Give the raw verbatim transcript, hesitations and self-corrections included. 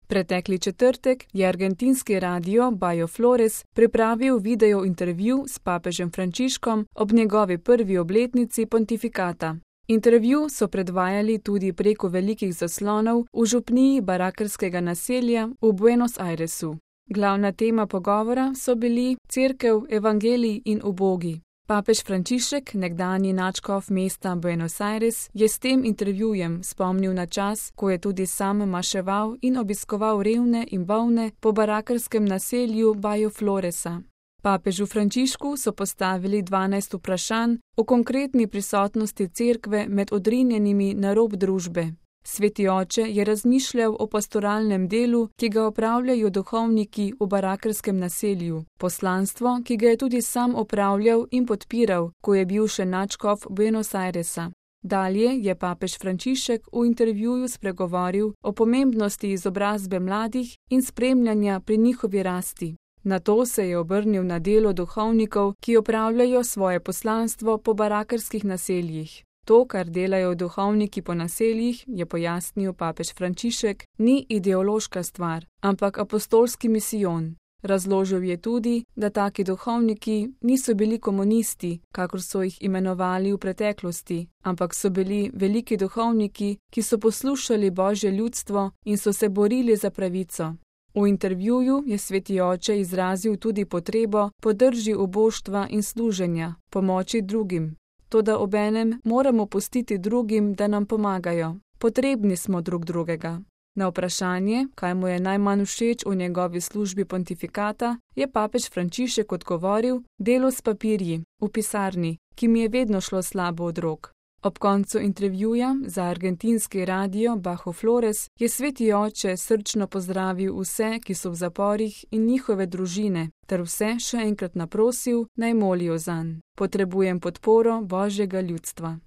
Pretekli četrtek je argentinski radio Bajo Flores pripravil video intervju s papežem Frančiškom ob njegovi prvi obletnici pontifikata. Intervju so predvajali tudi preko velikih zaslonov v župniji barakarskega naselja v Buenos Airesu. Glavna tema pogovora so bili cerkev, evangelij in ubogi. Papež Frančišek, nekdanji nadškof mesta Buenos Aires, je s tem intervjujem spomnil na čas, ko je tudi sam maševal in obiskoval revne in bolne po barakarskem naselju Bajo Floresa. Papežu Frančišku so postavili dvanajst vprašanj o konkretni prisotnosti cerkve med odrinjenimi na rob družbe. Sveti oče je razmišljal o pastoralnem delu, ki ga opravljajo duhovniki v barakarskem naselju, poslanstvo, ki ga je tudi sam opravljal in podpiral, ko je bil še nadškof Buenos Airesa. Dalje je papež Frančišek v intervjuju spregovoril o pomembnosti izobrazbe mladih in spremljanja pri njihovi rasti. Nato se je obrnil na delo duhovnikov, ki opravljajo svoje poslanstvo po barakarskih naseljih. To, kar delajo duhovniki po naseljih, je pojasnil papež Frančišek, ni ideološka stvar, ampak apostolski misijon. Razložil je tudi, da taki duhovniki niso bili komunisti, kakor so jih imenovali v preteklosti, ampak so bili veliki duhovniki, ki so poslušali Božje ljudstvo in so se borili za pravico. V intervjuju je sveti oče izrazil tudi potrebo po drži uboštva in služenja, pomoči drugim. Toda obenem moramo pustiti drugim, da nam pomagajo. Potrebni smo drug drugega. Na vprašanje, kaj mu je najmanj všeč v njegovi službi pontifikata, je papež Frančišek odgovoril: delo s papirji, v pisarni, ki mi je vedno šlo slabo od rok. Ob koncu intervjuja za argentinski radio Bajo Flores je sveti oče srčno pozdravil vse, ki so v zaporih in njihove družine, ter vse še enkrat naprosil, naj molijo zanj. Potrebujem podporo Božjega ljudstva.